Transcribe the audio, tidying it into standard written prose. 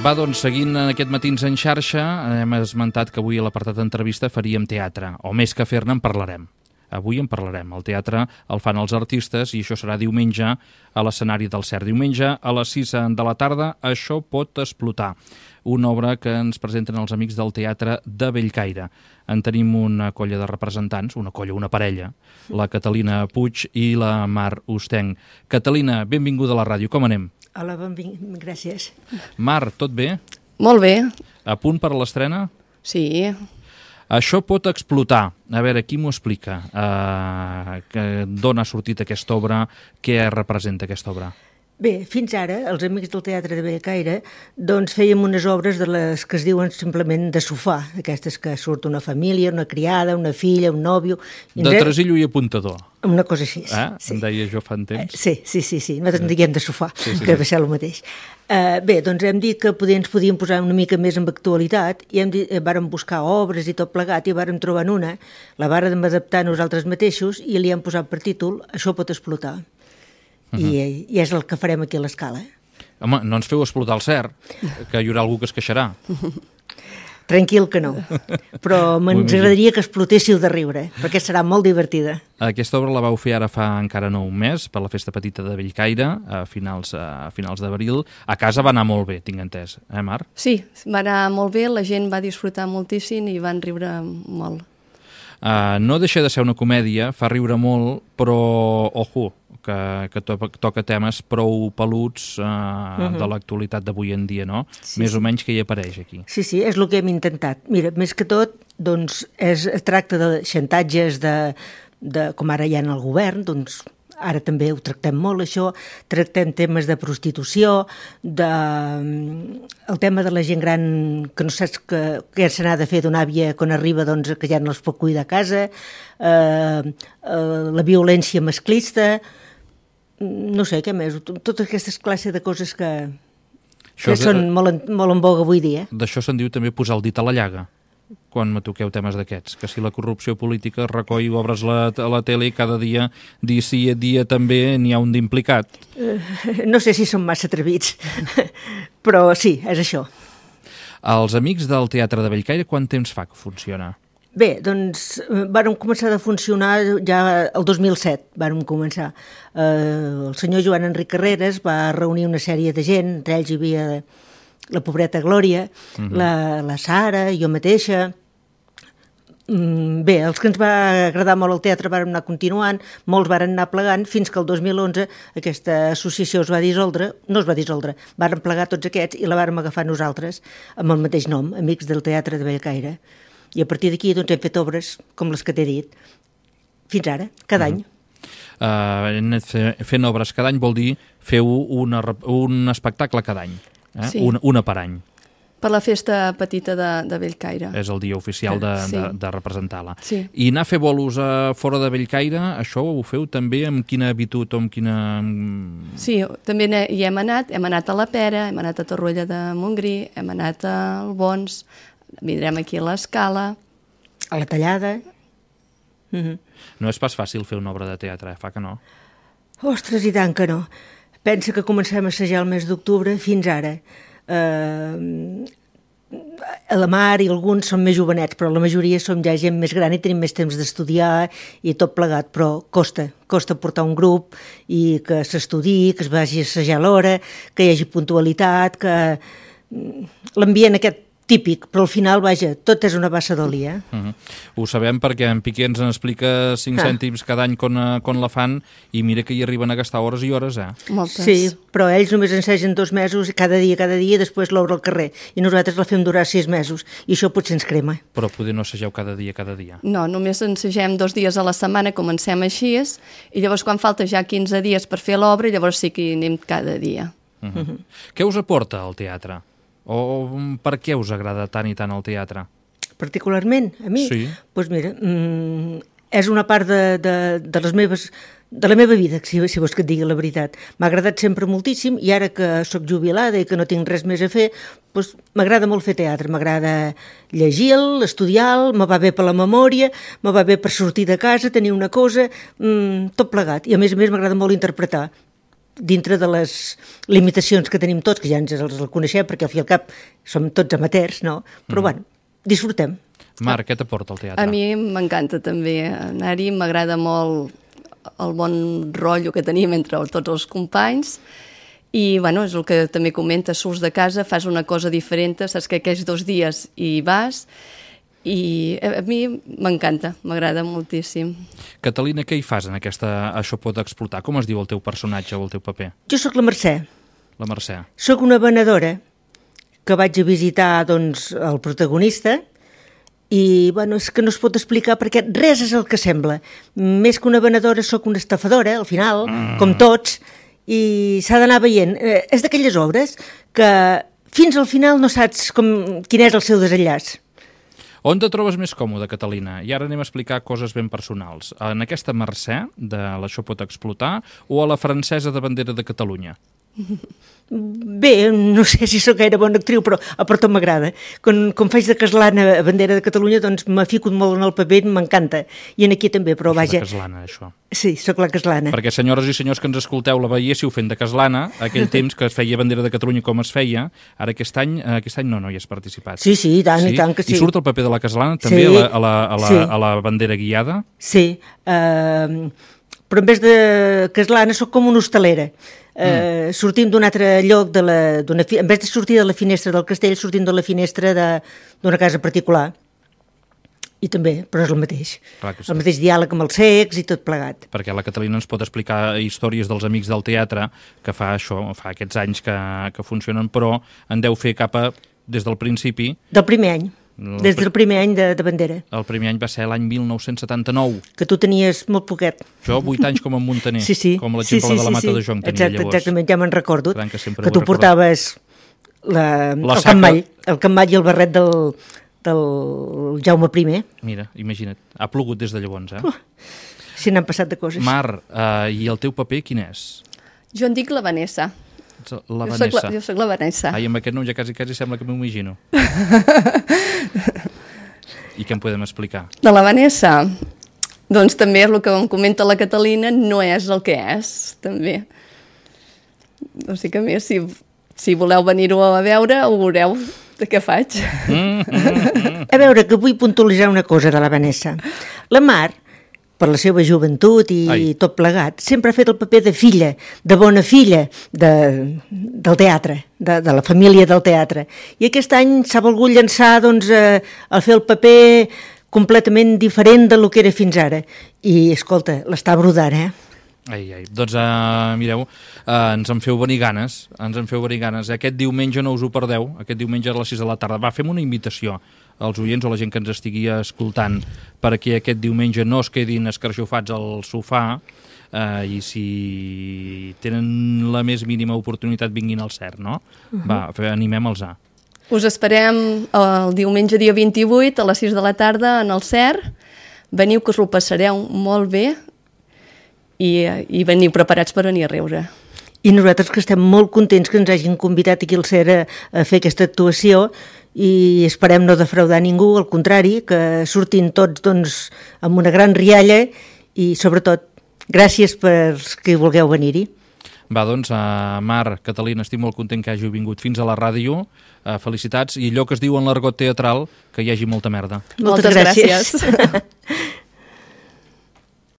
Va, doncs, seguint aquest Matins en xarxa, hem esmentat que avui a l'apartat d'entrevista faríem teatre, o més que fer-ne en parlarem. Avui en parlarem. El teatre el fan els artistes i això serà diumenge a l'escenari del CERT. Diumenge a les 6 de la tarda, Això pot explotar. Una obra que ens presenten els amics del Teatre de Bellcaire. En tenim una colla de representants, una parella, la Catalina Puig i la Mar Ustenc. Catalina, benvinguda a la ràdio. Com anem? Hola, gràcies. Mar, tot bé? Molt bé. A punt per a l'estrena? Sí. Això pot explotar. A veure, qui m'ho explica? D'on ha sortit aquesta obra? Què representa aquesta obra? Bé, fins ara, els amics del Teatre de Bellcaire, doncs fèiem unes obres de les que es diuen simplement de sofà, aquestes que surt una família, una criada, una filla, un nòvio... De tresillo i apuntador. Una cosa així, sí. Em deia jo fa un temps. Sí. Nosaltres en diguem de sofà, que va ser el mateix. Bé, doncs hem dit que ens podíem posar una mica més en actualitat i vàrem buscar obres i tot plegat i vàrem trobar una, la vàrem adaptar nosaltres mateixos i li hem posat per títol Això pot explotar. I és el que farem aquí a l'Escala. Home, no ens feu explotar el CERT, que hi haurà algú que es queixarà. Tranquil que no, però ens agradaria que explotéssiu de riure, perquè serà molt divertida. Aquesta obra la vau fer ara fa encara no un mes, per la Festa Petita de Bellcaire, a finals d'abril. A casa va anar molt bé, tinc entès, Mar? Sí, va anar molt bé, la gent va disfrutar moltíssim i van riure molt. No deixa de ser una comèdia, fa riure molt, però, ojo, que toca temes prou peluts de l'actualitat d'avui en dia, no? Sí, més o menys que hi apareix aquí. Sí, és el que hem intentat. Mira, més que tot, doncs, es tracta de xantatges com ara hi ha en el govern, doncs, ara també ho tractem molt, això, tractem temes de prostitució, el tema de la gent gran que no saps què se n'ha de fer d'una àvia quan arriba, doncs, que ja no els pot cuidar a casa, la violència masclista, no sé, què més, totes aquestes classes de coses que són molt en voga avui dia. D'això se'n diu també posar el dit a la llaga, quan me toqueu temes d'aquests, que si la corrupció política recoll, obres a la tele i cada dia, dia sí dia també, n'hi ha un d'implicat. No sé si són massa atrevits, però sí, és això. Els amics del Teatre de Bellcaire, quant temps fa que funciona? Bé, doncs vàrem començar a funcionar ja el 2007, vàrem començar. El senyor Joan Enric Carreras va reunir una sèrie de gent, entre ells hi havia la pobreta Glòria, la Sara, jo mateixa. Bé, els que ens va agradar molt el teatre vàrem anar continuant, molts varen anar plegant, fins que el 2011 aquesta associació es va dissoldre, vàrem plegar tots aquests i la vàrem agafar nosaltres amb el mateix nom, Amics del Teatre de Bellcaire. I a partir d'aquí doncs, hem fet obres com les que t'he dit, fins ara, cada any. Fent obres cada any vol dir feu un espectacle cada any, sí. Una per any. Per la Festa Petita de Bellcaire. És el dia oficial de representar-la. Sí. I anar a fer bolos fora de Bellcaire, això ho feu també amb quina habitud o amb quina... Sí, també hi hem anat a la Pera, hem anat a Torroella de Montgrí, hem anat a Albons, vindrem aquí a l'Escala. A la Tallada. No és pas fàcil fer una obra de teatre, fa que no? Ostres, i tant que no. Pensa que comencem a assajar el mes d'octubre fins ara. La Mar i alguns són més jovenets, però la majoria som ja gent més gran i tenim més temps d'estudiar i tot plegat, però costa portar un grup i que s'estudiï, que es vagi a assajar a l'hora, que hi hagi puntualitat, que l'ambient aquest típic, però al final, vaja, tot és una bassa d'oli, Ho sabem perquè en Piqué ens explica 5 cèntims cada any quan la fan i mira que hi arriben a gastar hores i hores, Moltes. Sí, però ells només ensegen 2 mesos, cada dia, i després l'obra al carrer. I nosaltres la fem durar 6 mesos, i això potser ens crema. Però poder no assageu cada dia? No, només ensegem 2 dies a la setmana, comencem així, i llavors quan falta ja 15 dies per fer l'obra, llavors sí que hi anem cada dia. Què us aporta el teatre? O per què us agrada tant i tant el teatre? Particularment, a mi? Sí. Doncs mira, és una part de la meva vida, si vols que et digui la veritat. M'ha agradat sempre moltíssim i ara que sóc jubilada i que no tinc res més a fer, doncs m'agrada molt fer teatre, m'agrada llegir-lo, estudiar-lo, me va bé per la memòria, me va bé per sortir de casa, tenir una cosa, tot plegat. I a més m'agrada molt interpretar. dintre de les limitacions que tenim tots, que ja ens els coneixem, perquè al fi i al cap som tots amateurs, no? Però bueno, disfrutem. Marc, què t'aporta el teatre? A mi m'encanta també anar-hi, m'agrada molt el bon rotllo que tenim entre tots els companys i, bueno, és el que també comentes, surts de casa, fas una cosa diferent, saps que aquells 2 dies hi vas i a mi m'encanta, m'agrada moltíssim. Catalina, què hi fas en aquesta Això pot explotar? Com es diu el teu personatge o el teu paper? Jo sóc la Mercè. La Mercè. Sóc una venedora que vaig a visitar, doncs, el protagonista i, bueno, és que no es pot explicar perquè res és el que sembla. Més que una venedora sóc una estafadora, al final, com tots, i s'ha d'anar veient. És d'aquelles obres que fins al final no saps quin és el seu desenllaç. On te trobes més còmode, Catalina? I ara anem a explicar coses ben personals. En aquesta Mercè, de l'Això pot explotar, o a la francesa de Bandera de Catalunya? Bé, no sé si sóc gaire bona actriu, però a per tot m'agrada. Quan faig de Caslana a Bandera de Catalunya, doncs m'ha ficat molt en el paper, m'encanta. I en aquí també, però vaja... De Caslana, això. Sí, sóc la Caslana. Perquè, senyores i senyors que ens escolteu, la veiéssiu fent de Caslana, aquell temps que es feia Bandera de Catalunya com es feia, ara aquest any no hi has participat. Sí, i tant que sí. I surt el paper de la Caslana també sí, a la bandera guiada? Sí, però en vez de Caslana sóc com una hostalera. Sortim d'un altre lloc, en vez de sortir de la finestra del castell, sortim de la finestra d'una casa particular. I també, però és el mateix. Sí. El mateix diàleg amb els cecs i tot plegat. Perquè la Catalina ens pot explicar històries dels amics del teatre, que fa aquests anys que funcionen, però en deu fer des del principi... Del primer any. Des del primer any de Bandera. El primer any va ser l'any 1979. Que tu tenies molt poquet. Jo 8 anys com a Montaner, com l'exemple de la Mata de Jonc tenia llavors. Exactament, ja me'n recordo. Que tu portaves el cammall i el barret del Jaume I. Mira, imagina't, ha plogut des de llavors, Si n'han passat de coses. Mar, i el teu paper quin és? Jo en dic la Vanessa. La Vanessa. Jo soc la Vanessa. Ai, amb aquest nom ja quasi sembla que m'ho imagino. I què em podem explicar? De la Vanessa, doncs també el que em comenta la Catalina no és el que és, també. O sigui que a més, si voleu venir-ho a veure, ho veureu de què faig. A veure, que vull puntualitzar una cosa de la Vanessa. La Mar, per la seva joventut i tot plegat, sempre ha fet el paper de filla, de bona filla del teatre, de la família del teatre. I aquest any s'ha volgut llançar a fer el paper completament diferent del que era fins ara. I, escolta, l'està brodant, Doncs mireu, ens en feu venir ganes, Aquest diumenge no us ho perdeu, aquest diumenge a les 6 de la tarda. Fem una invitació als oients o a la gent que ens estigui escoltant perquè aquest diumenge no es quedin escarxofats al sofà i si tenen la més mínima oportunitat vinguin al CERN, no? Va, animem-los a. Us esperem el diumenge dia 28 a les 6 de la tarda en el CERN. Veniu que us ho passareu molt bé i veniu preparats per venir a riure. I nosaltres que estem molt contents que ens hagin convidat aquí al CERN a fer aquesta actuació i esperem no defraudar ningú, al contrari, que surtin tots amb una gran rialla i sobretot gràcies per que vulgueu venir-hi. Va, doncs, Mar, Catalina, estic molt content que hàgiu vingut fins a la ràdio. Felicitats i allò que es diu en l'argot teatral, que hi hagi molta merda. Moltes gràcies.